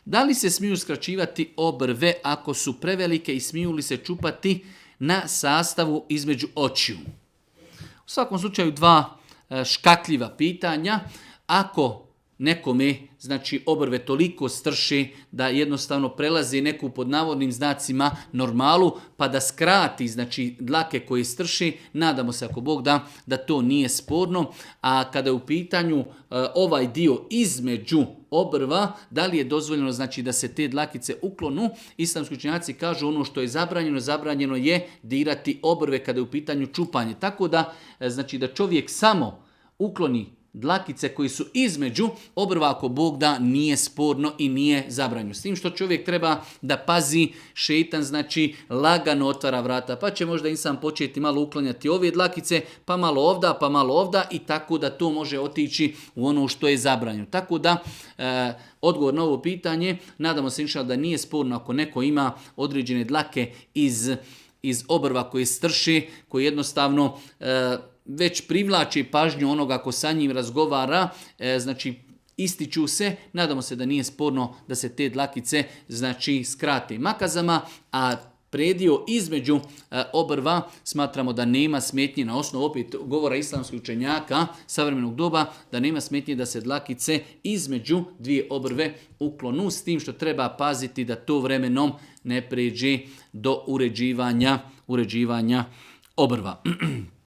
Da li se smiju skraćivati obrve ako su prevelike i smiju li se čupati na sastavu između očiju? U svakom slučaju dva škakljiva pitanja. Ako nekome, znači, obrve toliko strši da jednostavno prelazi neku pod navodnim znacima normalu, pa da skrati, znači, dlake koje strši, nadamo se ako Bog da to nije sporno. A kada je u pitanju ovaj dio između obrva, da li je dozvoljeno, znači, da se te dlakice uklonu, islamski učenjaci kažu ono što je zabranjeno je dirati obrve kada je u pitanju čupanje. Tako da, znači, da čovjek samo ukloni dlakice koji su između obrva, ako Bog da, nije sporno i nije zabranjeno. S tim što čovjek treba da pazi, šeitan, znači, lagano otvara vrata, pa će možda insan početi malo uklanjati ove dlakice, pa malo ovda i tako da to može otići u ono što je zabranjeno. Tako da, odgovor na ovo pitanje, nadamo se inšallah da nije sporno ako neko ima određene dlake iz obrva koje strši, koji jednostavno već privlači pažnju onoga ko sa njim razgovara, znači ističu se, nadamo se da nije sporno da se te dlakice, znači, skrate makazama, a predio između obrva smatramo da nema smetnje, na osnovu opet govora islamskih učenjaka savremenog doba, da nema smetnje da se dlakice između dvije obrve uklonu, s tim što treba paziti da to vremenom ne pređe do uređivanja obrva.